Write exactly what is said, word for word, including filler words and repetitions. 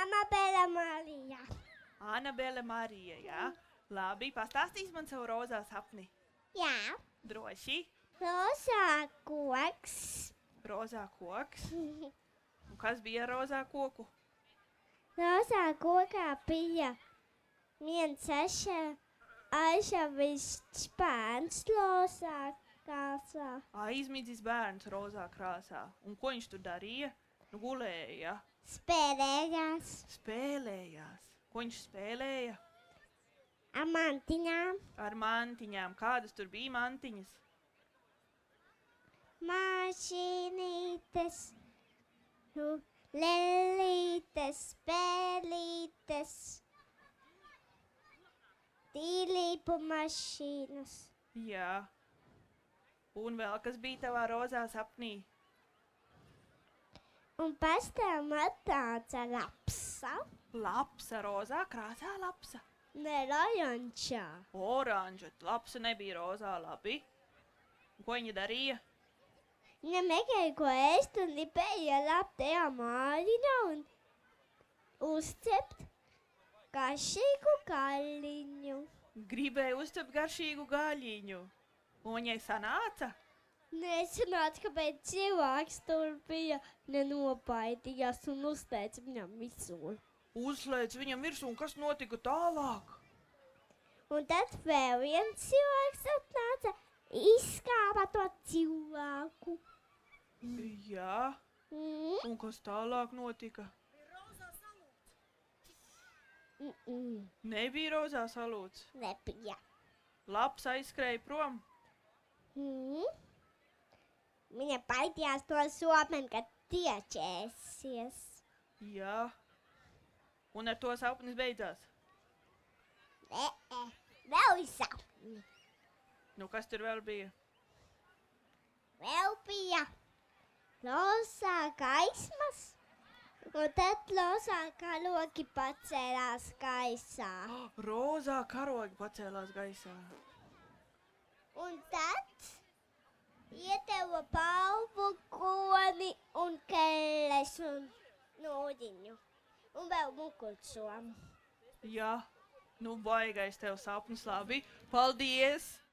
Anabela Marija. Anabela Marija, jā? Labi, pastāstīs man savu rozā sapni. Jā. Droši. Rozā koks. Rozā koks. Un kas bija ar rozā koku? Rozā kokā bija viens aša, ašavišķs bērns rozā krāsā. Aizmidzis bērns rozā krāsā. Un ko viņš tur darīja? Nu, gulēja. Spēlējās. Spēlējās. Ko viņš spēlēja? Ar mantiņām. Ar mantiņām. Kādas tur bija mantiņas? Mašīnītes, nu, lelītes, spēlītes, tīlīpu mašīnas. Jā. Un vēl kas bija tavā rozā sapnī? Un pēc tam atnāca lapsa. Lapsa, rozā krāsā lapsa. Ne oranžā. Oranža, lapsa nebija rozā, labi. Un ko viņa darīja? Viņa meklēja, ko ēst un lipēja laptajā mājiņā un uzcept garšīgu gaļiņu. Gribēja uzcept garšīgu gaļiņu. Un viņai sanāca? Nesanāca, kāpēc cilvēks tur bija nenobaidījās un uzteica viņam visu. Uzslēdz viņam virsū, un kas notika tālāk? Un tad vēl viens cilvēks atnāca, izskāpa to cilvēku. Jā. Mm. Un kas tālāk notika? Mm -mm. Nebija rozā salūts. Nebija. Laps aizskrēja prom. Mm. Viņa baidījās to someni, kad tiečēsies. Jā. Un ar to sapnis beidzās. Nē, vēl ir sapni. Nu, kas tur vēl bija? Vēl bija rozā gaismas, un tad rozā karogi pacēlās gaisā. Rozā karogi pacēlās gaisā. Un tad iedeva balvu koni un kelles un nūdiņu. Un vēl mukursomu. Jā. Nu, baigais tev sapnis, labi. Paldies!